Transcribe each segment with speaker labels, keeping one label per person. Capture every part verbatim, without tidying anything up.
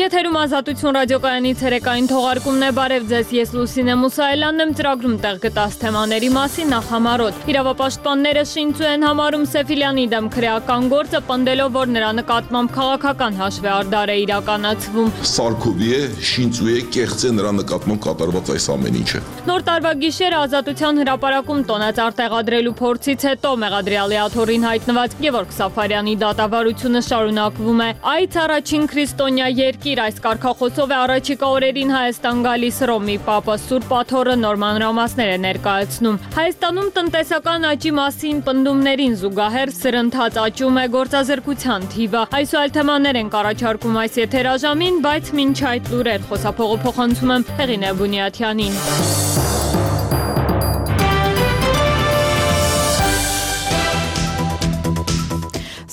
Speaker 1: Եթերում Ազատություն ռադիոկայանի ցերեկային թողարկումն է, բարև ձեզ, ես Լուսինե Մուսայելյանն եմ, ծրագրում տեղ գտած թեմաների մասին նախ համարոտ։ Իրավապաշտպանները շինծու են համարում Սեֆիլյանի դեմ քրեական գործը, պնդելով, որ նրա նկատմամբ քաղաքական հաշվեհարդար է իրականացվում։
Speaker 2: Սարքովի է, շինծու է, կեղծ է նրա նկատմամբ կատարված այս ամեն ինչը։
Speaker 1: Նոր տարվա գիշերը Ազատության հրապարակում տոնածառ տեղադրելու փորձից հետո մեղադրյալի աթոռին հայտնված Գևորգ Սաֆարյանի դատավարությունը շարունակվում է։ Այդ առաջին քրիստոնյա երկիր այս կարգախոսով է առաջիկա օրերին Հայաստան գալիս Ռոմի Պապը Սուրբ Աթոռը նոր մանրամասներ է ներկայացնում։ Հայաստանում տնտեսական աճի մասին պնդումներին զուգահեռ սրընթաց աճում է գործազրկության թիվը։ Այս ու այլ թեմաներ են առաջարկում այս եթերաժամին, բայց մինչ այդ լուրեր խոսափողը փոխանցում եմ Հեղինե Բունյաթյանին։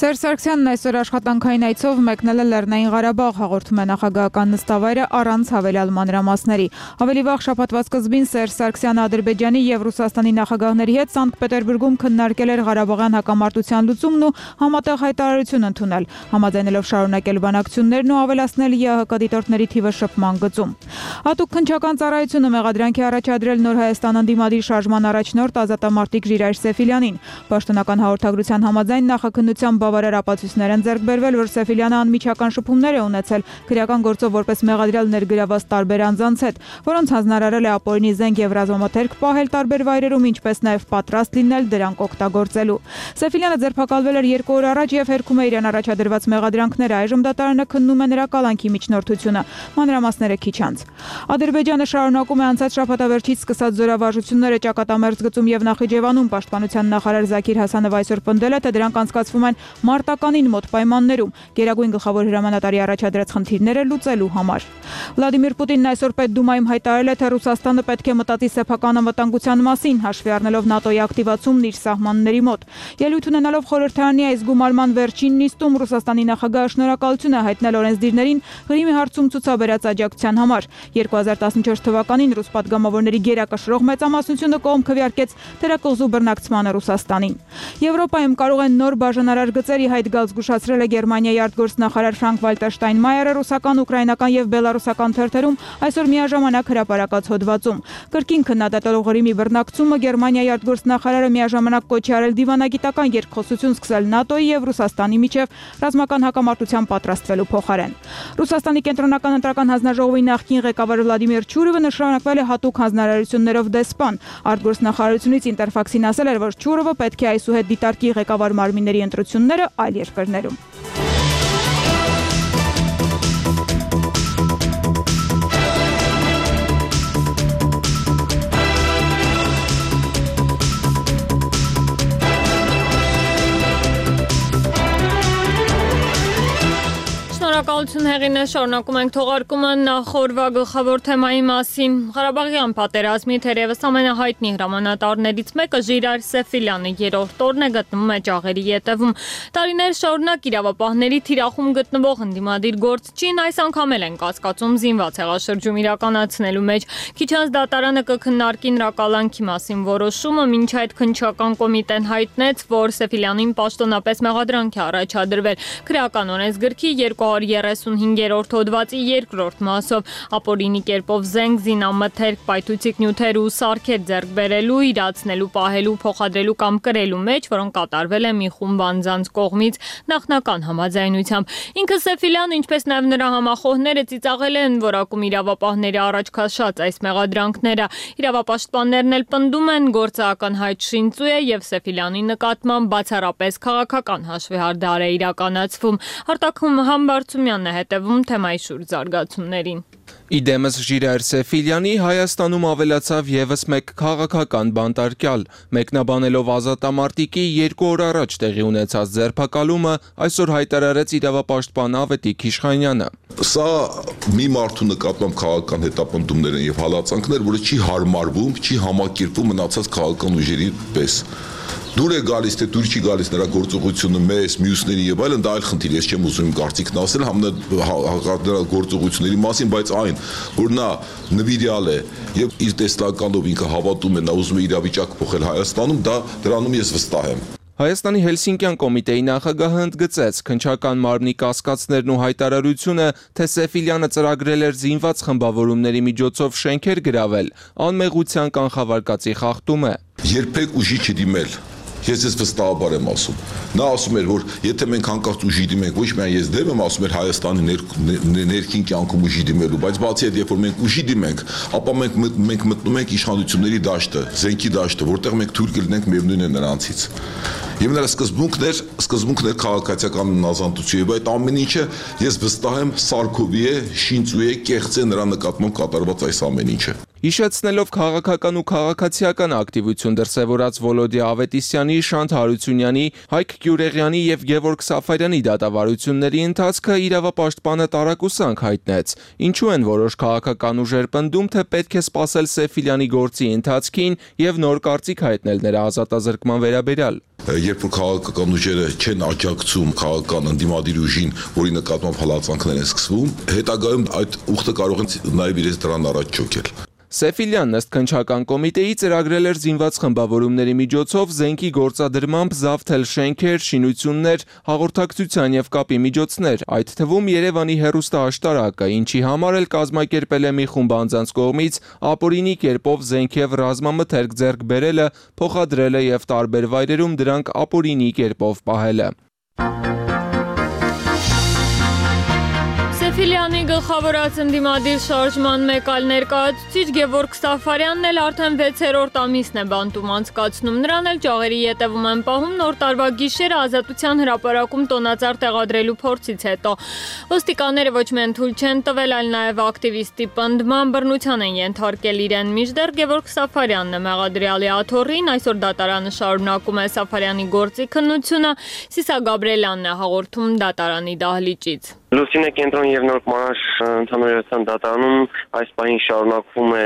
Speaker 3: Սերժ Սարգսյանն այսօր աշխատանքային այցով մեկնել է Լեռնային Ղարաբաղ, հաղորդում է նախագահական նստավայրը առանց հավելյալ մանրամասների։ Ավելի վաղ շաբաթվա սկզբին Սերժ Սարգսյանը Ադրբեջանի եւ Ռուսաստանի նախագահների հետ Սանկտ Պետերբուրգում քննարկել էր Ղարաբաղյան հակամարտության լուծումն ու համատեղ հայտարարություն ընդունել, համաձայնելով շարունակել բանակցություններն ու ավելացնել ԵԱՀԿ դիտորդների թիվը շփման գծում։ Հատուկ քննչական ծառայությունը մեղադրանքի առաջադրել Նոր Հայաստան ընդդիմադիր շարժման առաջնորդ ազատամարտիկ Ժիրայր Սեֆիլյանին։ Պաշտոնական հաղորդագրության համաձայն նախաքննության բավարար ապացույցներ են ձեռք բերվել, որ Սեֆիլյանը անմիջական շփումներ է ունեցել քրեական գործով որպես մեղադրյալ ներգրաված տարբեր անձանց հետ, որոնց հանձնարարել է ապօրինի զենք եւ ռազմամթերք պահել տարբեր վայրերում, ինչպես նաեւ պատրաստ լինել դրանք օգտագործելու։ Սեֆիլյանը ձերբակալվել էր երկու օր առաջ եւ հերքում է իրեն առաջադրված մեղադրանքները, այժմ դատարանը քննում է նրա կալանքի միջնորդությունը։ Մանրամասները քիչ անց։ Ադրբեջանը շարունակում է անցած շաբաթավերջից սկսած զորավարժությունները Ճակատամերձ գծում եւ Նախիջևանում։ Պաշտպանության նախարար Զաքիր Հասանովը այսօր պնդել է, թե դրանք անցկացվում են մարտականին մոտ պայմաններում Գերագույն գլխավոր հրամանատարի առաջադրած խնդիրները լուծելու համար։ Վլադիմիր Պուտինն այսօր Պետդումայում հայտարարել է, թե Ռուսաստանը պետք է մտածի սեփական անվտանգության մասին, հաշվի առնելով ՆԱՏՕ-ի ակտիվացումն իր սահմանների մոտ։ Ելույթ ունենալով խորհրդարանի այս գումարման վերջին նիստում Ռուսաստանի նախագահը շնորհակալություն է հայտնել օրենսդիրներին Ղրիմի հարցում ցուցաբերած աջակցության համար։ երկու հազար տասնչորս թվականին ռուս պատգամավորների գերակշռող մեծամասնությունը կողմ քվեարկեց թերակղզու բռնակցմանը Ռուսաստանին։ Եվրոպայում կարող են նոր բաժանարար գծերի հայտ գալ, զգուշացրել է Գերմանիայի արտգործնախարար Ֆրանկ Վալտեր Շտայնմայերը ռուսական, ուկրաինական եւ բելարուսական թերթերում այսօր միաժամանակ հրապարակած հոդվածում։ Կրկին քննադատելով Ղրիմի բռնակցումը Գերմանիայի արտգործնախարարը միաժամանակ կոչ է արել դիվանագիտական երկխոսություն սկսել ՆԱՏՕ-ի եւ Ռուսաստանի միջև ռազմական հակամարտության պատրաստվելու փոխարեն։ Ռուսաստանի կենտրոնական ընտրական հանձնաժողովի նախկին ղեկավար Վլադիմիր Չուրովը նշանակվել է հատուկ հանձնարարություններով դեսպան։ Արտգործնախարարությունից Ինտերֆաքսին ասել էր, որ Չուրովը պետք է այսուհետ դիտարկի ղեկավար մարմինների ընտրությունները այլ երկրներում։
Speaker 1: Շնորհակալություն Հեղինե, շարունակում ենք թողարկումը նախորվա գլխավոր թեմայի մասին։ Ղարաբաղյան պատերազմի թերևս ամենահայտնի հրամանատարներից մեկը Ժիրայր Սեֆիլյանը երրորդ օրն է գտնվում է ճաղերի ետևում։ Տարիներ շարունակ իրավապահների թիրախում գտնվող ընդդիմադիր գործչին այս անգամ էլ են կասկածում զինված հեղաշրջում իրականացնելու մեջ։ Քիչ անց դատարանը կքննարկի նրա կալանքի մասին որոշումը, մինչ այդ քննչական կոմիտեն հայտնեց, որ Սեֆիլյանին պաշտոնապես մեղադրանք է առաջադրվել քրեական օրենսգրքի երկու հարյուր երեսունհինգերորդ հոդվածի երկրորդ մասով ապօրինի կերպով զենք, զինամթերք, պայթուցիկ նյութեր ու սարքեր ձեռք բերելու, իրացնելու, պահելու, փոխադրելու կամ կրելու մեջ, որոնք կատարվել է մի խումբ անձանց կողմից նախնական համաձայնությամբ։ Ինքը Սեֆիլյանը, ինչպես նաև նրա համախոհները ծիծաղել են որակում իրավապահների առաջ քաշած այս մեղադրանքները։ Իրավապաշտպաններն էլ պնդում են գործական հայտ շինծու է եւ Սեֆիլյանի նկատմամբ բացառապես քաղաքական հաշվեհարդար է իրականացվում։ Արտակում Համբարձումյանն է հետևում թեմայի շուրջ զարգացումներին։
Speaker 4: Իդեմս Ժիրայր Սեֆիլյանի Հայաստանում ավելացավ եւս մեկ քաղաքական բանտարկյալ, մեկնաբանելով ազատամարտիկի երկու օր առաջ տեղի ունեցած ձերբակալումը, այսօր հայտարարեց իրավապաշտպան Ավետիք Իշխանյանը։
Speaker 2: Սա մի մարդու նկատմամբ քաղաքական հետապնդումներ են եւ հալածանքներ, որը չի հարմարվում, չի համակերպվում մնացած քաղաքական ուժերի պես։ Դուր է գալիս, թե դուր չի գալիս նրա գործողությունը մեզ, մյուսների եւ այլն, դա այլ խնդիր, ես չեմ ուզում կարծիքն ասել նրա գործողությունների մասին, բայց այն, որ նա նվիրյալ է եւ իր տեսլականով ինքը հավատում է, նա ուզում է իրավիճակ փոխել Հայաստանում, դա դրանում ես վստահ եմ։
Speaker 4: Հայաստանի Հելսինկյան կոմիտեի նախագահը ընդգծեց քննչական մարմնի կասկածներն ու հայտարարությունը, թե Սեֆիլյանը ծրագրել էր զինված խմբավորումների միջոցով շենքեր գրավել, անմեղության կանխավարկածի խախտում է։
Speaker 2: Երբեք ուժի չդիմել։ Ես ես վստահաբար եմ ասում։ Նա ասում էր, որ եթե մենք հանկարծ ուժի դիմենք, ոչ միայն ես դեմ եմ ասում էր Հայաստանի ներքին կյանքում ուժի դիմելու, բայց բացի այդ, երբ որ մենք ուժի դիմենք, ապա մենք մենք մտնում ենք իշխանությունների դաշտը, զենքի դաշտը, որտեղ մենք թույլ կլինենք միևնույն է նրանցից։ Եվ նրա սկզբունքն էր, սկզբունքն էր քաղաքացիական նազանտություն, եւ այդ ամեն ինչը ես վստահ եմ Սարքովի է, Շինծու է, կեղծ է նրա նկատմամբ կատարված այս ամեն ինչը։
Speaker 4: Հիշեցնելով քաղաքական ու քաղաքացիական ակտիվություն դրսևորած Վոլոդիա Ավետիսյանի, Շանթ Հարությունյանի, Հայկ Գյուրեղյանի եւ Գևորգ Սաֆարյանի դատավարությունների ընթացքը իրավապաշտպանը տարակուսանք հայտնեց։ Ինչու են որոշ քաղաքական ուժեր պնդում, թե պետք է սպասել Սեֆիլյանի գործի ընթացքին եւ նոր կարծիք հայտնել նրա ազատազրկման վերաբերյալ։
Speaker 2: Երբ որ քաղաքական ուժերը չեն աջակցում քաղաքական ընդդիմադիր ուժին, որի նկատմամբ հալածանքներ են սկսվում, հետագայում այդ ուխտը կարող են նաեւ իրենց դրան առաջ չոքել։
Speaker 4: Սեֆիլյանն ըստ քննչական կոմիտեի ծրագրել էր զինված խմբավորումների միջոցով զենքի գործադրմամբ զավթել շենքեր, շինություններ, հաղորդակցության եւ կապի միջոցներ, այդ թվում Երևանի հեռուստաաշտարակը, ինչի համար էլ կազմակերպել է մի խումբ անձանց կողմից ապօրինի կերպով զենք եւ ռազմամթերք ձեռք բերելը, փոխադրելը եւ տարբեր վայրերում դրանք ապօրինի կերպով պահելը։
Speaker 1: Սեֆիլյանի գլխավորած ընդդիմադիր շարժման մեկ այլ ներկայացուցիչ Գևորգ Սաֆարյանն էլ արդեն վեցերորդ ամիսն է բանտում անցկացնում, նրան էլ ճաղերի ետևում են պահում նոր տարվա գիշերը Ազատության հրապարակում տոնածառ տեղադրելու փորձից հետո։ Ոստիկանները ոչ միայն թույլ չեն տվել, այլ նաև ակտիվիստի պնդման բռնության են ենթարկել իրեն, մինչդեռ Գևորգ Սաֆարյանն է մեղադրյալի աթոռին, այսօր դատարանը շարունակում է Սաֆարյանի գործի քննությունը, Սիսա Գաբրելյանն է հաղորդում դատարանի դահլիճից։
Speaker 5: Լուսինե կենտրոն եւ Նոր Մանաշ ընդհանրության դատարանում այս պահին շարունակվում է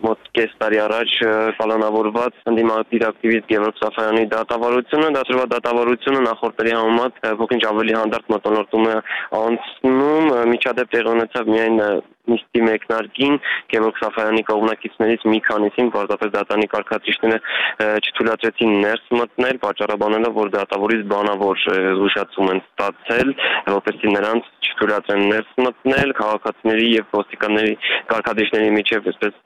Speaker 5: մոտ կես տարի առաջ պլանավորված ընդդիմադիր ակտիվիստ Գևորգ Սաֆարյանի դատավարությունը, դատվա դատավարությունը նախորդների համեմատ փոքր-ինչ ավելի հանդարտ մոտոնորդում է անցնում, միջադեպ տեղի ունեցավ միայն նիստի մեկնարկին Գևորգ Սաֆարյանի կողմնակիցներից մի քանիսին պարզապես դատարանի կարգադրիչները չթույլատրեցին ներս մտնել, պատճառաբանելով, որ դատավորից բանավոր զգուշացում են ստացել, որպեսզի նրանց չթույլատրեն ներս մտնել, քաղաքացիների եւ ոստիկանների կարգադրիչների միջև այսպես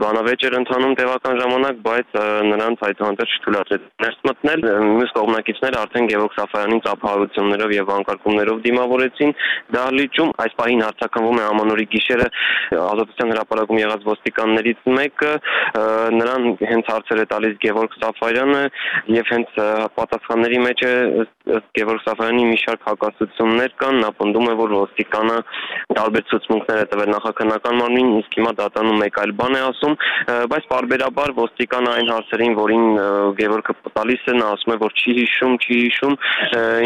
Speaker 5: բանավեճ էր ընթանում տևական ժամանակ, բայց նրանց այդուհանդերձ չթույլատրեց ներս մտնել։ Մյուս կողմնակիցները արդեն Գևորգ Սաֆարյանին ծափահարություններով եւ վանկարկումներով դիմավորեցին դահլիճում։ Այս պահին հարցակնվում է ամանորի գիշերը Ազատության հրապարակում եղած ոստիկաններից մեկը, նրան հենց հարցեր է տալիս Գևորգ Սաֆարյանը եւ հենց պատասխանների մեջ է Գևորգ Սաֆարյանի մի շարք հակասություններ կան, նա պնդում է, որ ոստիկանը տարբեր ցուցմունքներ է տվել նախաքննական մարմնին, իսկ հիմա դատանում մեկ այլ բան է ասում, բայց պարբերաբար ոստիկանը այն հարցերին, որին Գևորգը տալիս է, նա ասում է, որ չի հիշում, չի հիշում,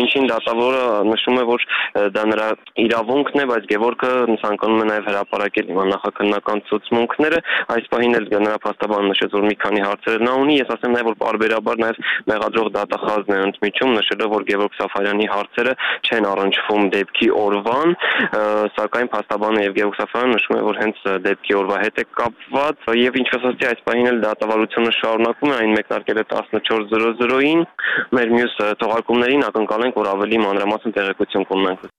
Speaker 5: ինչին դատավորը նշում է, որ դա նրա իրավունքն է, բայց Գևորգը ցանկանում է նաև հրապարակել հիմա նախաքննական ցուցմունքները, այս պահին էլ նրա փաստաբանը նշեց, որ մի քանի հարցեր նա ունի, ես ասեմ նաև, որ պարբերաբար նաև մեղադրող դատախազն է ընդմիջում, նշելով, որ Գևորգ Սաֆարյանի հարցերը չեն առնչվում դեպքի օրվան, սակայն փաստաբանը եւ Գևորգ Սաֆարյանը նշում է, որ հենց դեպքի օրվա հետ է կապված եւ ինչպես ասացի, այս պահին էլ դատավարությունը շարունակում է, այն մեկնարկել է տասնչորս զրո զրոին, մեր մյուս թողարկումներին ակնկալենք, որ ավելի մանրամասն տեղեկություն կունենանք։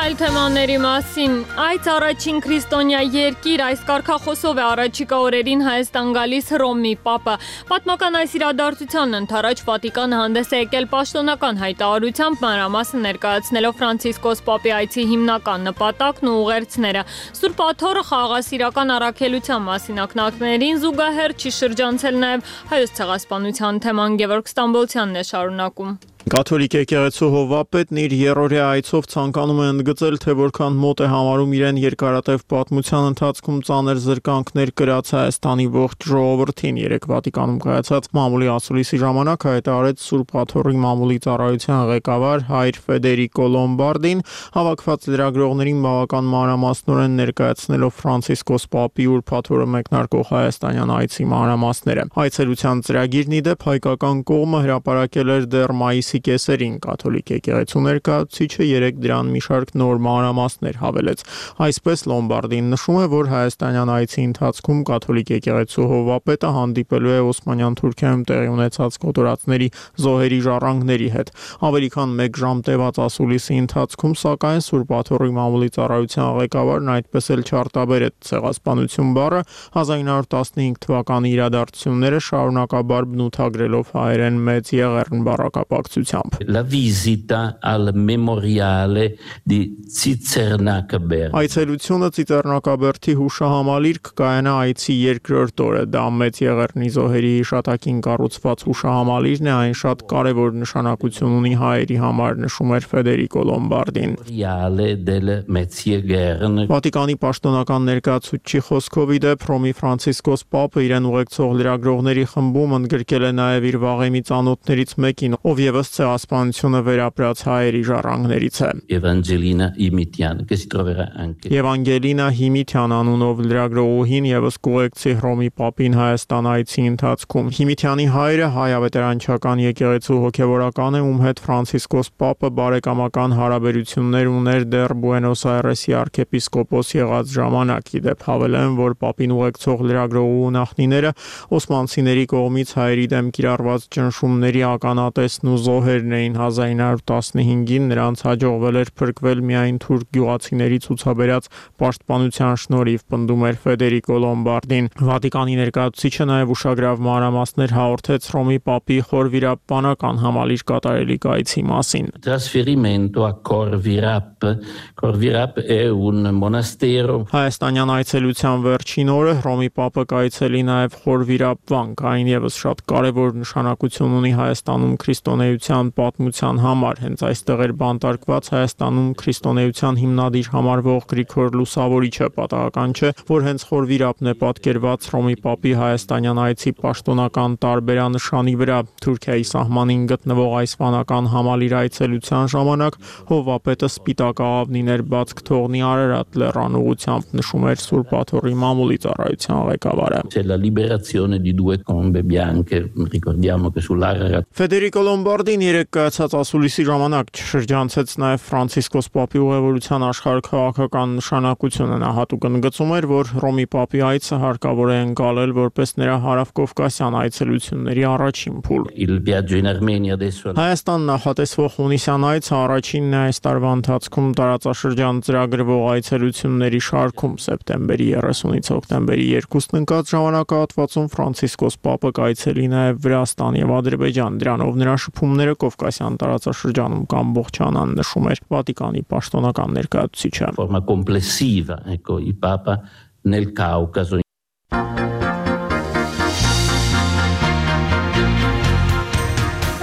Speaker 1: Այլ թեմաների մասին, այս առաջին քրիստոնյա երկիր, այս կարգախոսով է առաջիկա օրերին Հայաստան գալիս Հռոմի Պապը։ Պատմական այս իրադարձությանն ընդառաջ Վատիկանը հանդես է եկել պաշտոնական հայտարարությամբ, մանրամասն ներկայացնելով Ֆրանցիսկոս Պապի այցի հիմնական նպատակն ու ուղերձները։ Սուրբ Աթոռը խաղաղասիրական առաքելության մասին ակնարկներին զուգահեռ չի շրջանցել նաև Հայոց ցեղասպանության թեման Գևորգ Ստամբոլցյանն է շարունակում։
Speaker 6: Կաթոլիկ եկեղեցու հովվապետն իր երրորդյա այցով ցանկանում է ընդգծել, թե որքան մոտ է համարում իրեն երկարատև պատմության ընթացքում ծանր զրկանքներ կրած Հայաստանի ողջ ժողովրդին։ Երեկ Վատիկանում կայացած մամուլի ասուլիսի ժամանակ հայտարարեց Սուրբ Աթոռի մամուլի ծառայության ղեկավար հայր Ֆեդերիկո Լոմբարդին, հավաքված լրագրողներին բավական մանրամասնորեն ներկայացնելով Ֆրանցիսկոս Պապի Սուրբ Աթոռը մեկնարկող հայաստանյան այցի մանրամասները։ Այցելության ծրագիրն ի դեպ հայկական կողմը հրապարակել էր դեռ մայիսի այցի կեսերին կաթոլիկ եկեղեցու ներկայացուցիչը երեկ դրան մի շարք նոր մանրամասներ հավելեց։ Այսպես Լոմբարդին նշում է, որ հայաստանյան այցի ընթացքում կաթոլիկ եկեղեցու հովվապետը հանդիպելու է Օսմանյան Թուրքիայում տեղի ունեցած կոտորածների զոհերի ժառանգների հետ։ Ավելի քան մեկ ժամ տևած ասուլիսի ընթացքում, սակայն Սուրբ Աթոռի մամուլի ծառայության ղեկավարն այդպես էլ չարտաբերեց ցեղասպանություն բառը, հազար ինը հարյուր տասնհինգ թվականի իրադարձությունները շարունակաբար բնութագրելով հայերեն մեծ եղեռն բառակապակցությամբ։
Speaker 7: La visita al memoriale di Ծիծեռնակաբերդ։
Speaker 6: Այցելությունը Ծիծեռնակաբերդի հուշահամալիր կկայանա այցի երկրորդ օրը։ Դա մեծ եղեռնի զոհերի հիշատակին կառուցված հուշահամալիրն է, այն շատ կարևոր նշանակություն ունի հայերի համար, նշում էր Ֆեդերիկո Լոմբարդին։ Վատիկանի պաշտոնական ներկայացուցիչի խոսքով ի դեպ Հռոմի Ֆրանցիսկոս Պապը իրեն ուղեկցող լրագրողների խմբում ընդգրկել է նաև իր վաղեմի ծանոթներից մեկին, ով եւս ցեղասպանությունը վերապրած հայերի ժառանգներից է։
Speaker 7: Evangelina Imitian, che si troverà anche
Speaker 6: Եվանգելինա Հիմիթյան անունով լրագրողուհին եւս կուղեկցի Հռոմի Պապին Հայաստան այցի ընթացքում։ Հիմիթյանի հայրը հայ ավետարանչական եկեղեցու հոգևորական է, ում հետ Ֆրանցիսկոս Պապը բարեկամական հարաբերություններ ուներ դեռ Բուենոս Այրեսի arczepiskopos եղած ժամանակ։ Ի դեպ հավելեմ, որ Պապին ուղեկցող լրագրողու նախնիները օսմանցիների կողմից հայերի դեմ կիրառված ճնշումների ականատեսն ու զոհերն էին։ հազար ինը հարյուր տասնհինգին նրանց հաջողվել էր փրկվել միայն թուրք գյուղացիների ցուցաբերած պաշտպանության շնորհիվ, պնդում էր Ֆեդերիկո Լոմբարդին։ Վատիկանի ներկայացուցիչը նաև ուշագրավ մանրամասներ հաղորդեց Հռոմի Պապի խորվիրապանական համալիր կատարելիք այցի մասին։
Speaker 7: Trasferimento a Corvirap. Corvirap è un monastero.
Speaker 6: Հայաստանյան այցելության վերջին օրը Հռոմի Պապը կայցելի նաև Խորվիրապ վանք, այն եւս շատ կարևոր նշանակություն ունի Հայաստանում քրիստոնեության պատմության համար։ Հենց այստեղ էր բանտարկված Հայաստանում քրիստոնեության հիմնադիր համարվող Գրիգոր Լուսավորիչը։ Պատահական չէ, որ հենց Խորվիրապն է պատկերված Հռոմի Պապի հայաստանյան այցի պաշտոնական տարբերանշանի վրա։ Թուրքիայի սահմանին գտնվող այս վանական համալիր այցելության ժամանակ հովվապետը սպիտակ աղավնիներ բաց կթողնի Արարատ լեռան ուղությամբ, նշում էր Սուրբ Աթոռի մամուլի ծառայության ղեկավարը։
Speaker 7: C'è la liberazione di due tombe bianche, ricordiamo che sull'Ararat.
Speaker 6: Ֆեդերիկո Լոմբարդին երեկ կայացած ասուլիսի ժամանակ շրջանցեց նաև Ֆրանցիսկոս Պապի ուղևորության աշխարհաքաղաքական նշանակությունը։ Նա հատուկ ընդգծում էր, որ Հռոմի Պապի այցը հարկավոր է ընկալել որպես նրա հարավկովկասյան այցելությունների առաջին փուլ։
Speaker 7: Il viaggio in Armenia adesso.
Speaker 6: Հայաստան նախատեսվող հունիսյան այցը առաջինն է այս տարվա ընթացքում տարածաշրջան ծրագրվող այցելությունների շարքում։ Սեպտեմբերի երեսունից հոկտեմբերի երկուսն ընկած ժամանակահատվածում Ֆրանցիսկոս Պապը կայցելի նաև Վրաստան եւ Ադրբեջան։ Դրանով նրա շփումները Կովկասյան տարածաշրջանում կամբողջանան, նշում էր Վատիկանի պաշտոնական ներկայացուցիչը։
Speaker 7: Forma complessiva, ecco, il Papa nel Caucaso.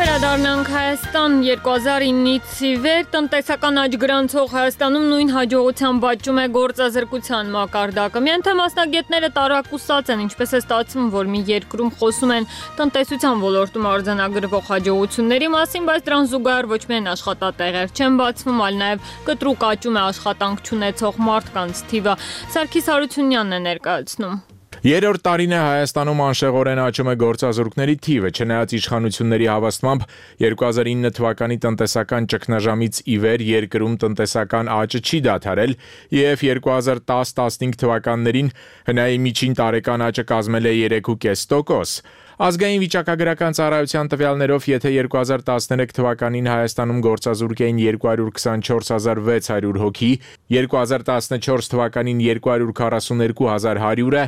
Speaker 1: Վերադառնանք Հայաստան երկու հազար ինից ի վեր տնտեսական աճ գրանցող Հայաստանում նույն հաջողությամբ աճում է գործազրկության մակարդակը։ Միայն թե մասնագետները տարակուսած են, ինչպես է ստացվում, որ մի երկրում խոսում են տնտեսության ոլորտում արձանագրվող հաջողությունների մասին, բայց դրան զուգահեռ ոչ միայն աշխատատեղեր չեն բացվում, այլ նաև կտրուկ աճում է աշխատանք չունեցող մարդկանց թիվը։ Սարգիս Հարությունյանն է ներկայացնում։
Speaker 8: Երրորդ տարին է Հայաստանում անշեղորեն աճում է գործազուրկների թիվը, չնայած իշխանությունների հավաստմամբ երկու հազար ինը թվականի տնտեսական ճգնաժամից ի վեր երկրում տնտեսական աճը չի դադարել եւ երկու հազար տաս տասնհինգ թվականներին հնայի միջին տարեկան աճը կազմել է երեք կόμμα պենս տոկոս։ Ազգային վիճակագրական ծառայության տվյալներով, եթե երկու հազար տասներեք թվականին Հայաստանում գործազուրկ էին երկու հարյուր քսանչորս հազար վեց հարյուր հոգի, երկու հազար տասնչորս թվականին երկու հարյուր քառասուներկու հազար հարյուրը,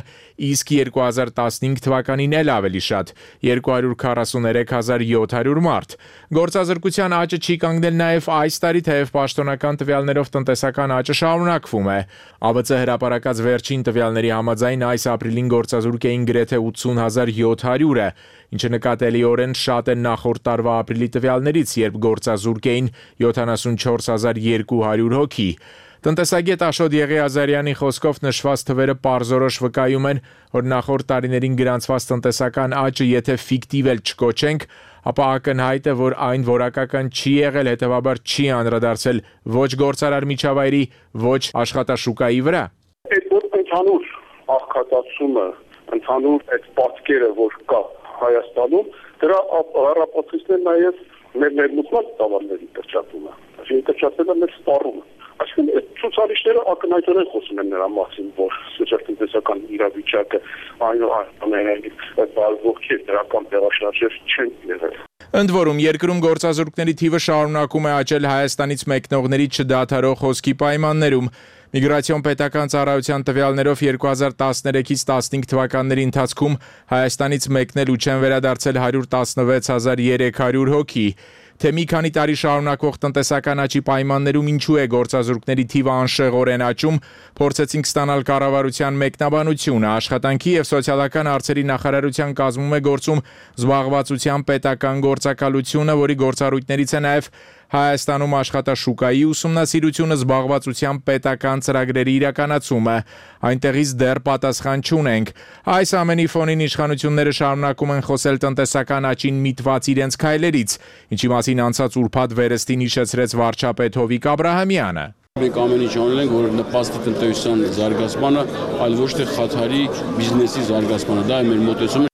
Speaker 8: իսկ երկու հազար տասնհինգ թվականին էլ ավելի շատ՝ երկու հարյուր քառասուներեք հազար յոթ հարյուր մարդ։ Գործազրկության աճը չի կանգնել նաև այս տարի, թեև պաշտոնական տվյալներով տնտեսական աճը շարունակվում է։ ԱՎԾ հրապարակած վերջին տվյալների համաձայն այս ապրիլին գործազուրկ էին գրեթե ութսուն հազար յոթ հարյուրը, ինչը նկատելիորեն շատ է նախորդ տարվա ապրիլի տվյալներից, երբ գործազուրկ էին յոթանասունչորս հազար երկու հարյուր հոգի։ Տնտեսագետ Աշոտ Եղիազարյանի խոսքով նշված թվերը պարզորոշ վկայում են, որ նախորդ տարիներին գրանցված տնտեսական աճը եթե ֆիկտիվ էլ չկոչենք, ապա ակնհայտ է, որ այն որակական չի եղել, հետևաբար չի անդրադարձել ոչ գործարար միջավայրի, ոչ աշխատաշուկայի վրա։
Speaker 9: Այդ ընդհանուր աղքատացումը, ընդհանուր այդ պատկերը, որ կա Հայաստանում, դրա առապացույցն է նաև մեր ներմուծման տավարների կրճատումը, այսինքն կրճատելը մեր սպառումը։ Այսինքն այդ ցուցարիչները ակնհայտորեն խոսում են նրա մասին, որ սոցիալ-տնտեսական իրավիճակը այնուամենայնիվ բազվող չէ, դրական տեղաշարժեր չեն եղել։
Speaker 8: Ընդ որում, երկրում գործազուրկների թիվը շարունակում է աճել Հայաստանից մեկնողների չդադարող հոսքի պայմաններում։ Միգրացիոն պետական ծառայության տվյալներով երկու հազար տասներեքից տասնհինգ թվականների ընթացքում Հայաստանից մեկնել ու չեն վերադարձել հարյուր տասնվեց հազար երեք հարյուր հոգի։ Թե մի քանի տարի շարունակվող տնտեսական աճի պայմաններում ինչու է գործազուրկների թիվը անշեղորեն աճում, փորձեցինք ստանալ կառավարության մեկնաբանությունը։ Աշխատանքի եւ սոցիալական հարցերի նախարարության կազմում է գործում զբաղվածության պետական գործակալությունը, որի գործառույթներից է նաեւ Հայաստանում աշխատաշուկայի ուսումնասիրությունը, զբաղվածության պետական ծրագրերի իրականացումը։ Այնտեղից դեռ պատասխան չունենք։ Այս ամենի ֆոնին իշխանությունները շարունակում են խոսել տնտեսական աճին միտված իրենց քայլերից, ինչի մասին անցած ուրբաթ վերստին հիշեցրեց վարչապետ Հովիկ Աբրահամյանը։
Speaker 10: Մենք ամեն ինչ անել ենք, որ նպաստի տնտեսության զարգացմանը, այլ ոչ թե խաթարի բիզնեսի զարգացմանը։ Դա է մեր մոտեցումը։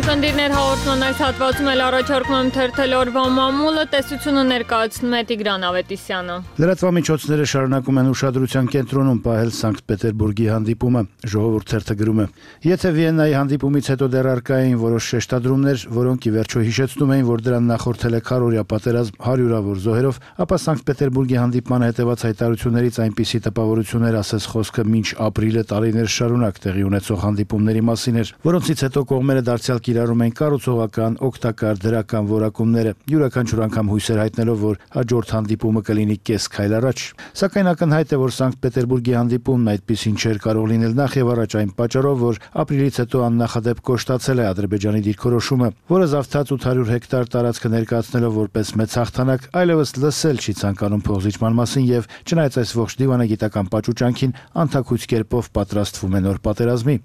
Speaker 1: Կնդիրներ հաղորդման այս հատվածում էլ առաջարկում եմ թերթել օրվա մամուլը, տեսությունը ներկայացնում է Տիգրան Ավետիսյանը։
Speaker 11: Լրատվամիջոցները շարունակում են ուշադրության կենտրոնում պահել Սանկտ Պետերբուրգի հանդիպումը, ժողովուրդ թերթը գրում է. Եթե Վիեննայի հանդիպումից հետո դեռ առկա էին որոշ շեշտադրումներ, որոնք ի վերջո հիշեցնում էին, որ դրան նախորդել է քառօրյա պատերազմ հարյուրավոր զոհերով, ապա Սանկտ Պետերբուրգի հանդիպմանը հետևած հայտարարություններից այնպիսի տպավորություններ ասես խոսքը մինչ ապրիլը տարիներ շարունակ տեղի ունեցող հանդիպումների մասին էր, որոնցից հետո կողմերը դարձյալ կիրառում են կառուցողական, օգտակար, դրական որակումները, յուրաքանչյուր անգամ հույսեր հայտնելով, որ հաջորդ հանդիպումը կլինի կես քայլ առաջ։ Սակայն ակնհայտ է, որ Սանկտ Պետերբուրգի հանդիպումն այդպիսին չէր կարող լինել նախ եւ առաջ այն պատճառով, որ ապրիլից հետո աննախադեպ կոշտացել է Ադրբեջանի դիրքորոշումը, որը զավթած ութ հարյուր հեկտար տարածքը ներկայացնելով որպես մեծ հաղթանակ, այլևս լսել չի ցանկանում փոխզիջման մասին եւ չնայած այս ողջ դիվանագիտական պաճուճանքին անթաքույց կերպով պատրաստվում է նոր պատերազմի։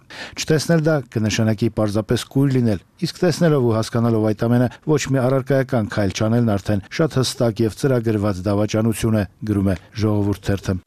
Speaker 11: Չտեսնել դա կնշանակի պարզապես կույր լինել, իսկ տեսնելով ու հասկանալով այդ ամենը ոչ մի առարկայական քայլ չանելն արդեն շատ հստակ եւ ծրագրված դավաճանություն է, գրում է Ժողովուրդ թերթը։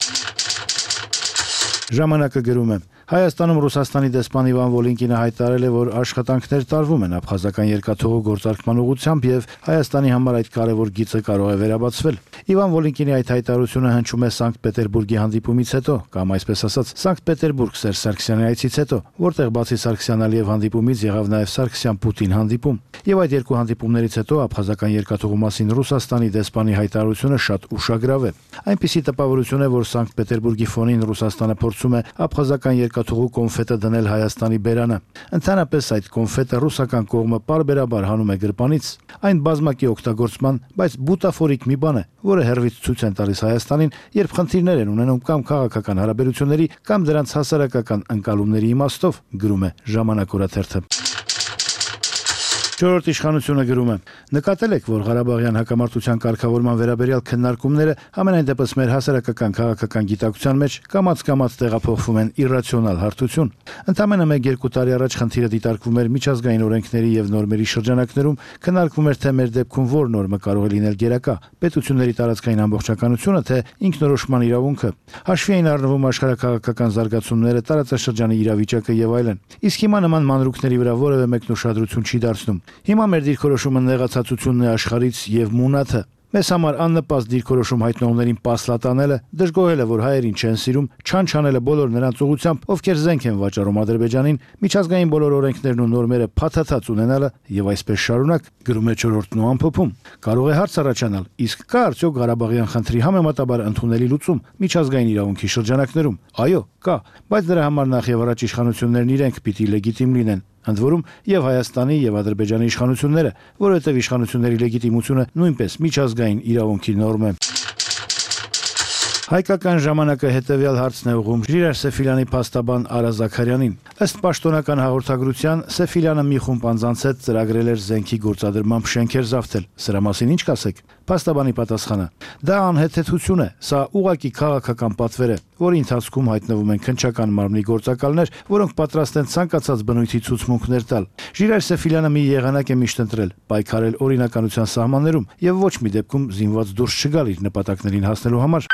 Speaker 11: Ժամանակը գրում է. Հայաստանում Ռուսաստանի դեսպան Իվան Վոլինկինը հայտարարել է, որ աշխատանքներ տարվում են աբխազական երկաթուղու գործարկման ուղղությամբ եւ Հայաստանի համար այդ կարևոր գիծը կարող է վերաբացվել։ Իվան Վոլինկինի այդ հայտարարությունը հնչում է Սանկտ Պետերբուրգի հանդիպումից հետո, կամ այսպես ասած, Սանկտ Պետերբուրգ Սերժ Սարգսյանի այցից հետո, որտեղ բացի Սարգսյան-Ալիև հանդիպումից եղավ նաեւ Սարգսյան-Պուտին հանդիպում։ Եվ այդ երկու հանդիպումներից հետո աբխազական երկաթուղու մասին Ռուսաստանի դեսպանի հայտարարությունը շատ ուշագրավ է։ Այնպիսի տպավորություն է, որ Սանկտ Պետերբուրգի ֆոնին Ռուսաստանը փորձում է աբխազական երկաթուղու կոնֆետը դնել Հայաստանի բերանը։ Ընդհանրապես այդ կոնֆետը ռուսական կողմը պարբերաբար հանում է գրպանից, այն բազմակի օգտագործման, բայց բուտաֆորիկ մի բան է, որը հերվից ցույց են տալիս Հայաստանին, երբ խնդիրներ են ունենում կամ քաղաքական հարաբերությունների, կամ դրանց հասարակական ընկալումների իմաստով, գրում է Ժամանակ օրաթերթը։ Չորրորդ իշխանությունը գրում է. նկատել եք, որ Ղարաբաղյան հակամարտության կարգավորման վերաբերյալ քննարկումները ամենայն դեպս մեր հասարակական քաղաքական գիտակցության մեջ կամաց-կամաց տեղափոխվում են իռացիոնալ հարթություն։ Ընդամենը մեկ-երկու տարի առաջ խնդիրը դիտարկվում էր միջազգային օրենքների եւ նորմերի շրջանակներում, քննարկվում էր թե մեր դեպքում որ նորմը կարող է լինել գերակա, պետությունների տարածքային ամբողջականությունը, թե ինքնորոշման իրավունքը։ Հաշվի էին առնվում աշխարհակաղակական զարգացումները, տարածաշրջանի իրավիճակը եւ այլն։ Իսկ հիմա նման մանրուքների վրա որևէ մեկն ուշադրություն չի դարձնում։ Հիմա մեր դիրքորոշումը նեղացածությունն է աշխարհից եւ մունաթը։ Մեզ համար աննպաստ դիրքորոշում հայտնողներին պասլատանելը, դժգոհելը, որ հայերին չեն սիրում, չանչանելը բոլոր նրանց ուղղությամբ, ովքեր զենք են վաճառում Ադրբեջանին, միջազգային բոլոր օրենքներն ու նորմերը փաթաթած ունենալը եւ այսպես շարունակ, գրում է Չորրորդն ու ամփոփում։ Կարող է հարց առաջանալ, իսկ կա արդյոք Ղարաբաղյան խնդրի համեմատաբար ընդունելի լուծում միջազգային իրավունքի շրջանակներում։ Այո, կա, բայց դրա համար նախ եւ առաջ իշխանություններն իրենք պիտի լեգիտիմ լինեն։ Ընդ որում եւ Հայաստանի եւ Ադրբեջանի իշխանությունները, որովհետեւ իշխանությունների լեգիտիմությունը նույնպես միջազգային իրավունքի նորմ է։ Հայկական ժամանակը հետևյալ հարցն է ուղղում Ժիրայր Սեֆիլյանի փաստաբան Արա Զաքարյանին։ Ըստ պաշտոնական հաղորդագրության, Սեֆիլյանը մի խումբ անձանց հետ ծրագրել էր զենքի գործադրմամբ շենքեր զավթել։ Սրա մասին ինչ կասեք։ Փաստաբանի պատասխանը. դա անհեթեթություն է, սա ուղղակի քաղաքական պատվեր է, որի ընթացքում հայտնվում են քննչական մարմնի գործակալներ, որոնք պատրաստ են ցանկացած բնույթի ցուցմունքներ տալ։ Ժիրայր Սեֆիլյանը մի եղանակ է միշտ ընտրել՝ պայքարել օրինականության սահմաններում եւ ոչ մի դեպքում զինված դուրս չգալ իր նպատակներին հասնելու համար։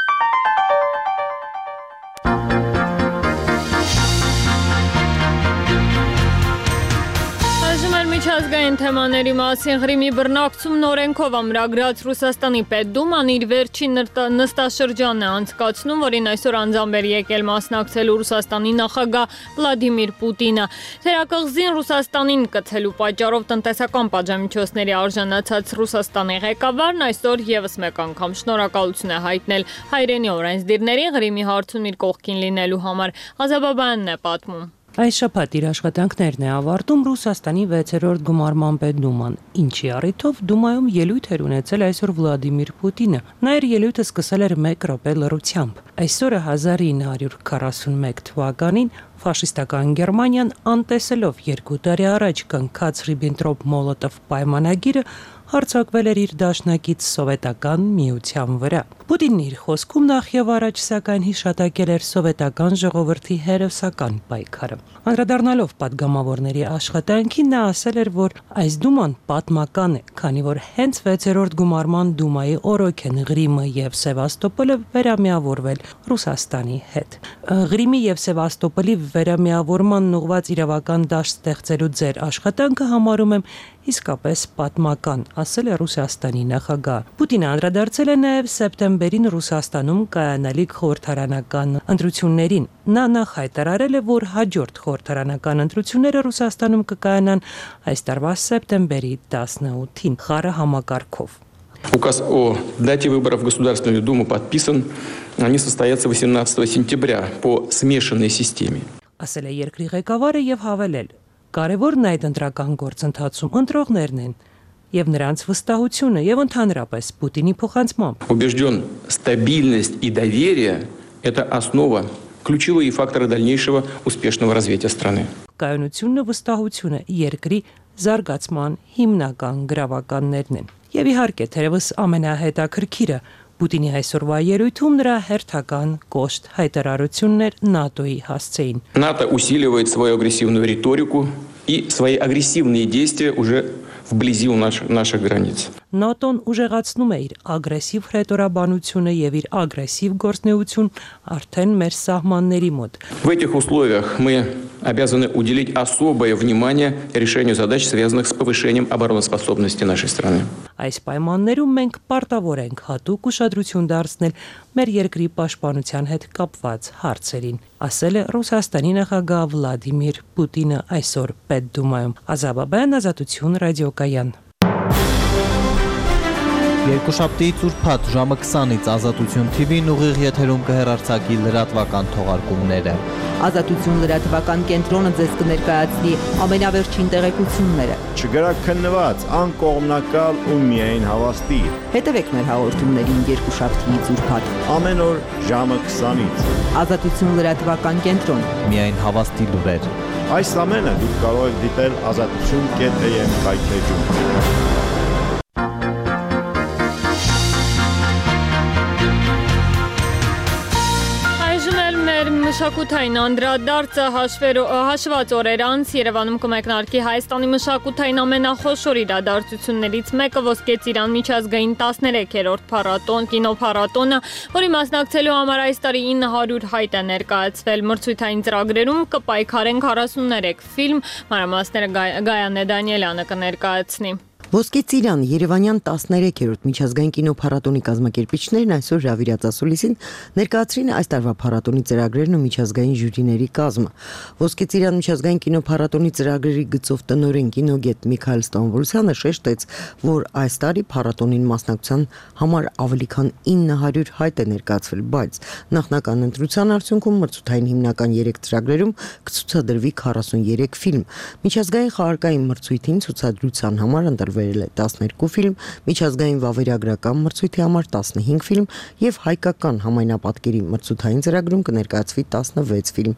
Speaker 1: Միջազգային թեմաների մասին Ղրիմի բռնակցումն օրենքով ամրագրած Ռուսաստանի Պետդուման իր վերջին նստաշրջանն է անցկացնում, որին այսօր անձամբ էր եկել մասնակցելու Ռուսաստանի նախագահ Վլադիմիր Պուտինը։ Թերակղզին Ռուսաստանին կցելու պատճառով տնտեսական պատժամիջոցների արժանացած Ռուսաստանի ղեկավարն այսօր եւս մեկ անգամ շնորհակալություն է հայտնել հայրենի օրենսդիրներին Ղրիմի հարցում իր կողքին լինելու համար։ Ղազաբաբյանն է պատմում։
Speaker 12: Այս շաբաթ իր աշխատանքներն է ավարտում Ռուսաստանի վեցերորդ գումարման պետդուման, ինչի առիթով Դումայում ելույթ էր ունեցել այսօր Վլադիմիր Պուտինը։ Նա իր ելույթը սկսել էր մեկ րոպե լռությամբ։ Այսօրը հազար ինը հարյուր քառասունմեկ թվականին ֆաշիստական Գերմանիան անտեսելով երկու տարի առաջ կնքած Ռիբենտրոպ-Մոլոտով պայմանագիրը հարձակվել էր իր դաշնակից սովետական միության վրա։ Պուտինն իր խոսքում նախ եւ առաջ սակայն հիշատակել էր սովետական ժողովրդի հերոսական պայքարը։ Անդրադառնալով падգամավորների աշխատանքին նա ասել էր, որ այս դուման պատմական է, քանի որ հենց վեցերորդ գումարման դումայի օրոք են Ղրիմը եւ Սևաստոպոլը վերամիավորվել Ռուսաստանի հետ։ Ղրիմի եւ Սևաստոպոլի վերամիավորման ուղղված իրավական դաշտ ստեղծելու ձեր աշխատանքը համարում եմ իսկապես պատմական, ասել է Ռուսաստանի նախագահ։ Պուտինը անդրադարձել է նաև սեպտեմբերին Ռուսաստանում կայանալիք խորհրդարանական ընտրություններին։ Նա նախ հայտարարել է, որ հաջորդ խորհրդարանական ընտրությունները Ռուսաստանում կկայանան այս տարվա սեպտեմբերի տասնութին խառը համակարգով։
Speaker 13: Указ о дате выборов в Государственную Думу подписан. Они состоятся восемнадцатого сентября по смешанной системе.
Speaker 12: Ասել է երկրի ղեկավարը եւ հավելել. Կարևորն այդ ընտրական գործընթացում ընտրողներն են եւ նրանց վստահությունը եւ ընդհանրապես Պուտինի փոխանցմամբ։
Speaker 13: Убежден, стабильность и доверие – это основа, ключевые факторы дальнейшего успешного развития страны.
Speaker 12: Կայունությունն ու վստահությունը երկրի զարգացման հիմնական գրավականներն են։ Եվ իհարկե, թերևս ամենահետաքրքիրը Պուտինի այսօրվա ելույթում նրա հերթական կոշտ հայտարարությունն էր ՆԱՏՕ-ի հասցեին։
Speaker 13: НАТО усиливает свою агрессивную риторику и свои агрессивные действия уже вблизи у наших границ.
Speaker 12: ՆԱՏՕ-ն ուժեղացնում է իր ագրեսիվ հրետորաբանությունը եւ իր ագրեսիվ գործունեություն արդեն մեր սահմանների մոտ։
Speaker 13: В этих условиях мы обязаны уделить особое внимание решению задач, связанных с повышением обороноспособности нашей страны.
Speaker 12: Այս պայմաններում մենք պարտավոր ենք հատուկ ուշադրություն դարձնել մեր երկրի պաշտպանության հետ կապված հարցերին, ասել է Ռուսաստանի նախագահ Վլադիմիր Պուտինը այսօր Պետդումայում։ Ղազաբաբյան, Ազատություն, ռադիոկայան։
Speaker 14: Երկուշաբթի ծուրփաթ ժամը քսանից Ազատություն Թի Վին ուղիղ եթերում կհեռարձակի լրատվական թողարկումները։
Speaker 15: Ազատություն լրատվական կենտրոնը ձեզ կներկայացնի ամենավերջին տեղեկությունները։
Speaker 16: Չգրաքննված, անկողմնակալ ու միայն հավաստի։
Speaker 15: Հետևեք մեր հաղորդումներին երկուշաբթի ծուրփաթ
Speaker 16: ամեն օր ժամը քսանից։
Speaker 15: Ազատություն լրատվական կենտրոն։
Speaker 14: Միայն հավաստի լուրեր։
Speaker 16: Այս ամենը դուք կարող եք դիտել ազատություն կետ էյ էմ կայքեջում։
Speaker 1: Մշակութային անդրադարձը հաշված օրեր անց Երևանում կմեկնարկի Հայաստանի մշակութային ամենախոշոր իրադարձություններից մեկը Ոսկե ծիրան միջազգային տասներեքերորդ փառատոն, կինոփառատոնը, որի մասնակցելու համար այս տարի ինը հարյուր հայտ է ներկայացվել։ Մրցույթային ծրագրերում կպայքարեն քառասուններեք ֆիլմ, մանրամասները Գայանե Դանիելյանը կներկայացնի։
Speaker 17: Ոսկե ծիրան Երևանյան տասներեքերորդ միջազգային կինոփառատոնի կազմակերպիչներն այսօր հրավիրած ասուլիսին ներկայացրին այս տարվա փառատոնի ծրագրերն ու միջազգային ժյուրիների կազմը։ Ոսկե ծիրան միջազգային կինոփառատոնի ծրագրերի գծով տնօրեն կինոգետ Միքայել Ստամբոլցյանը շեշտեց, որ այս տարի փառատոնին մասնակցության համար ավելի քան ինը հարյուր հայտ է ներկայացվել, բայց նախնական ընտրության արդյունքում մրցութային հիմնական երեք ծրագրերում կցուցադրվի քառասուներեք ֆիլմ։ Միջազգային խաղարկային մրցույթին ցուցադրության համար ընտրվել է տասներկու ֆիլմ, միջազգային վավերագրական մրցույթի համար տասնհինգ ֆիլմ եւ հայկական համայնապատկերի մրցութային ծրագրում կներկայացվի տասնվեց ֆիլմ։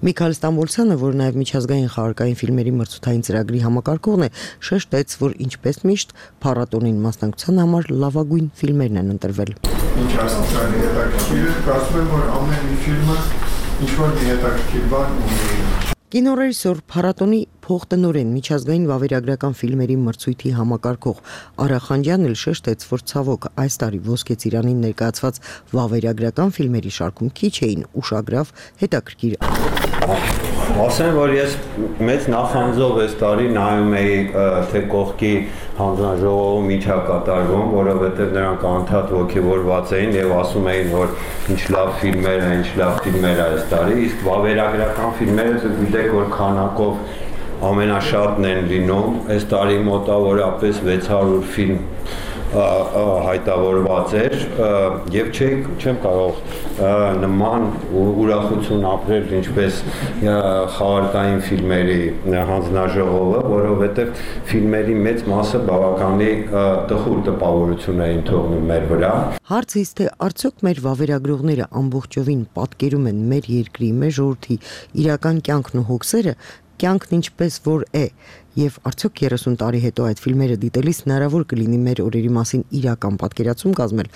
Speaker 17: Միքայել Ստամբոլցյանը, որ նաեւ միջազգային խաղարկային ֆիլմերի մրցութային ծրագրի համակարգողն է, շեշտեց, որ ինչպես միշտ փառատոնին մասնակցության համար լավագույն ֆիլմերն են ընտրվել։
Speaker 18: Ինչ ասացան հետաքրքիր է, կարծում եմ, որ ամեն մի ֆիլմը ինչ-որ հետաքրքիր բան ունի։
Speaker 17: Կինոռեժիսոր, փառատոնի փոխտնօրեն միջազգային վավերագրական ֆիլմերի մրցույթի համակարգող Արա Խանջյանն էլ շեշտեց, որ ցավոք այս տարի Ոսկե ծիրանին ներկայացված վավերագրական ֆիլմերի շարքում քիչ էին ուշագրավ հետաքրքիր։
Speaker 19: Ասեմ, որ ես մեծ նախանձով այս տարի նայում էի թե կողքի հանձնաժողովում ինչ է կատարվում, որովհետև նրանք անդադ ոգևորված էին եւ ասում էին, որ ինչ լավ ֆիլմեր է, ինչ լավ ֆիլմեր է այս տարի, իսկ վավերագրական ֆիլմերը դուք գիտեք, որ քանակով ամենաշատն են լինում, այս տարի մոտավորապես վեց հարյուր ֆիլմ հայտավորված էր եւ չեմ կարող նման ուրախություն ապրել ինչպես խաղարկային ֆիլմերի հանձնաժողովը, որովհետեւ ֆիլմերի մեծ մասը բավականի տխուր տպավորություն էին թողնում մեր վրա։
Speaker 17: Հարցից թե արդյոք մեր վավերագրողները ամբողջովին պատկերում են մեր երկրի, մեր ժողովրդի իրական կյանքն ու հոգսերը, կյանքն ինչպես որ է, եւ արդյոք երեսուն տարի հետո այդ ֆիլմերը դիտելիս հնարավոր կլինի մեր օրերի մասին իրական պատկերացում կազմել։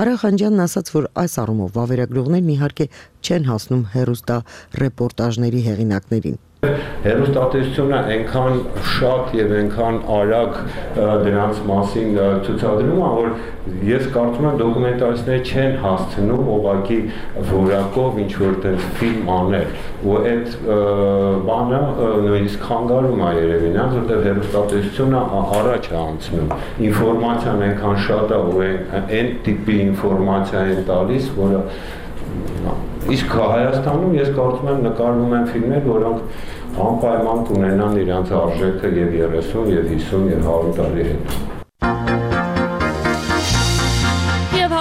Speaker 17: Արա Խանջյանն ասաց, որ այս առումով վավերագրողներն իհարկե չեն հասնում հեռուստա ռեպորտաժների հեղինակներին։
Speaker 19: Հեռուստատեսությունը այնքան շատ եւ այնքան արագ դրանց մասին ցուցադրում է, որ ես կարծում եմ դոկումենտալիստները չեն հասցնում ուղղակի որակով ինչ որ տես ֆիլմ անել, ու այդ բանը նույնիսկ խանգարում է երևի նրանց, որտեղ հեռուստատեսությունը առաջ է անցնում։ Ինֆորմացիան այնքան շատ է, որ այն տիպի ինֆորմացիա են տալիս, որը իսկ Հայաստանում ես կարծում եմ նկարվում են ֆիլմեր, որոնք անպայման կունենան իրենց արժեքը եւ երեսուն, եւ հիսուն, եւ հարյուր տարի հետո։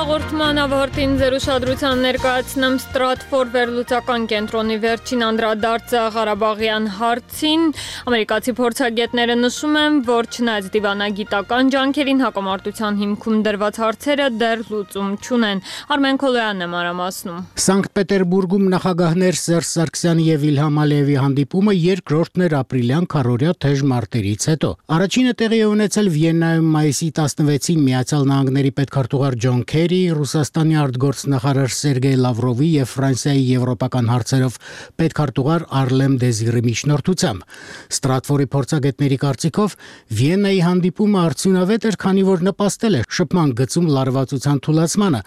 Speaker 1: Հաղորդման ավարտին ձեր ուշադրության ներկայացնեմ Stratfor վերլուծական կենտրոնի վերջին անդրադարձը Ղարաբաղյան հարցին։ Ամերիկացի փորձագետները նշում են, որ չնայած դիվանագիտական ջանքերին հակամարտության հիմքում դրված հարցերը դեռ լուծում չունեն։ Արմեն Քոլոյանն է մանրամասնում։
Speaker 20: Սանկտ Պետերբուրգում նախագահներ Սերժ Սարգսյանի եւ Իլհամ Ալիևի հանդիպումը երկրորդն էր ապրիլյան քառօրյա թեժ մարտերից հետո։ Առաջինը տեղի է ունեցել Վիեննայում մայիսի տասնվեցին Միացյալ Նահանգների պետքարտուղար Ջոն Քերի, Ռուսաստանի արտգործնախարար Սերգեյ Լավրովի եւ Ֆրանսիայի եվրոպական հարցերով պետքարտուղար Արլեմ Դեզիրի միջնորդությամբ։ Ստրատֆորի փորձագետների կարծիքով Վիեննայի հանդիպումը արդյունավետ էր, քանի որ նպաստել է շփման գծում լարվածության թուլացմանը,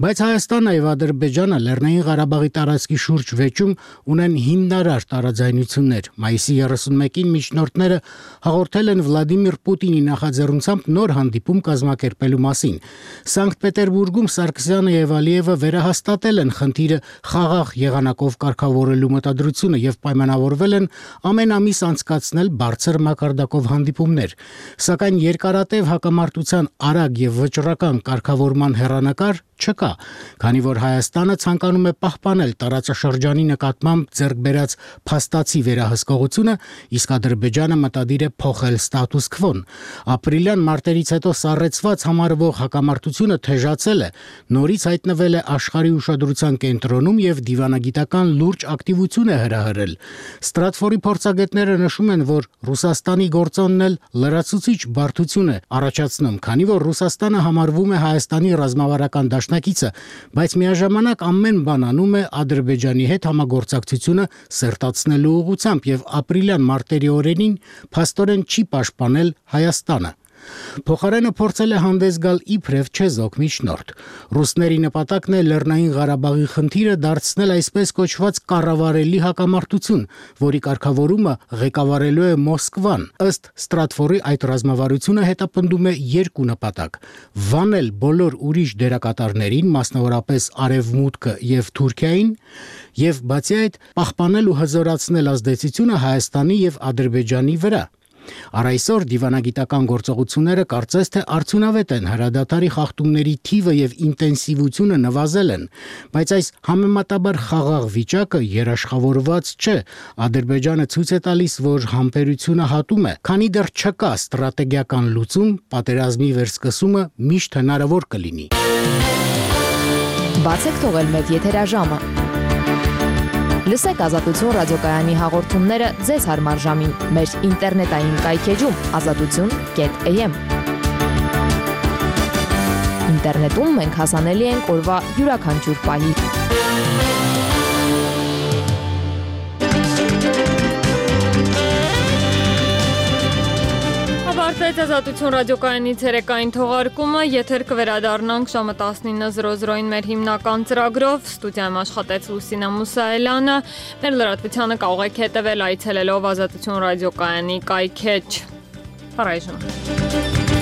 Speaker 20: բայց Հայաստանն եւ Ադրբեջանը Լեռնային Ղարաբաղի տարածքի շուրջ վեճում ունեն հիմնարար տարաձայնություններ։ Մայիսի երեսունմեկին միջնորդները հաղորդել են Վլադիմիր Պուտինի նախաձեռնությամբ նոր հանդիպում կազմակերպելու մասին։ Սանկտ Պետերբուրգում Սարգսյանը եւ Ալիևը վերահաստատել են խնդիրը խաղաղ եղանակով կարգավորելու մտադրությունը եւ պայմանավորվել են ամեն ամիս անցկացնել բարձր մակարդակով հանդիպումներ, սակայն երկարատև հակամարտության արագ եւ վճռական կարգավորման հեռանկար չկա, քանի որ Հայաստանը ցանկանում է պահպանել տարածաշրջանի նկատմամբ ձեռք բերած փաստացի վերահսկողությունը, իսկ Ադրբեջանը մտադիր է փոխել ստատուս քվոն։ Ապրիլյան մարտերից հետո սառեցված համարվող հակամարտությունը թեժացել է, նորից հայտնվել է աշխարհի ուշադրության կենտրոնում եւ դիվանագիտական լուրջ ակտիվություն է հրահրել։ Ստրատֆորի փորձագետները նշում են, որ Ռուսաստանի գործոնն էլ լրացուցիչ բարդություն է առաջացնում, քանի որ Ռուսաստանը համարվում է Հայաստանի ռազմավարական դաշնակիցը, բայց միաժամանակ ամեն բան անում է Ադրբեջանի հետ համագործակցությունը սերտացնելու ուղղությամբ եւ ապրիլյան մարտերի օրերին փաստորեն չի պաշտպանել Հայաստանը։ Փոխարենը փորձել է հանդես գալ իբրև չեզոք միջնորդ։ Ռուսների նպատակն է Լեռնային Ղարաբաղի խնդիրը դարձնել այսպես կոչված կառավարելի հակամարտություն, որի կարգավորումը ղեկավարելու է Մոսկվան։ Ըստ Ստրատֆորի այդ ռազմավարությունը հետապնդում է երկու նպատակ՝ վանել բոլոր ուրիշ դերակատարներին, մասնավորապես Արևմուտքը եւ Թուրքիային, եւ բացի այդ պահպանել ու հզորացնել ազդեցությունը Հայաստանի եւ Ադրբեջանի վրա։ Առայսօր դիվանագիտական գործողությունները կարծես թե արդյունավետ են, հրադադարի խախտումների թիվը եւ ինտենսիվությունը նվազել են, բայց այս համեմատաբար խաղաղ վիճակը երաշխավորված չէ։ Ադրբեջանը ցույց է տալիս, որ համբերությունը հատում է, քանի դեռ չկա ստրատեգիական լուծում, պատերազմի վերսկսումը միշտ հնարավոր կլինի։
Speaker 21: Բացեք թողել մեծ եթերաժամը։ Լսեք Ազատություն ռադիոկայանի հաղորդումները ձեզ հարմար ժամին մեր ինտերնետային կայքեջում ազատություն կետ am։ Ինտերնետում մենք հասանելի ենք օրվա յուրաքանչյուր պահի։
Speaker 1: Սկսվեց Ազատություն ռադիոկայանի ցերեկային թողարկումը, եթեր կվերադառնանք ժամը տասնինը զրո զրոին մեր հիմնական ծրագրով, ստուդիայում աշխատեց Լուսինա Մուսայելյանը, մեր լրատվությանը կարող եք հետևել այցելելով Ազատություն ռադիոկայանի կայքեջ։ Առայժմ։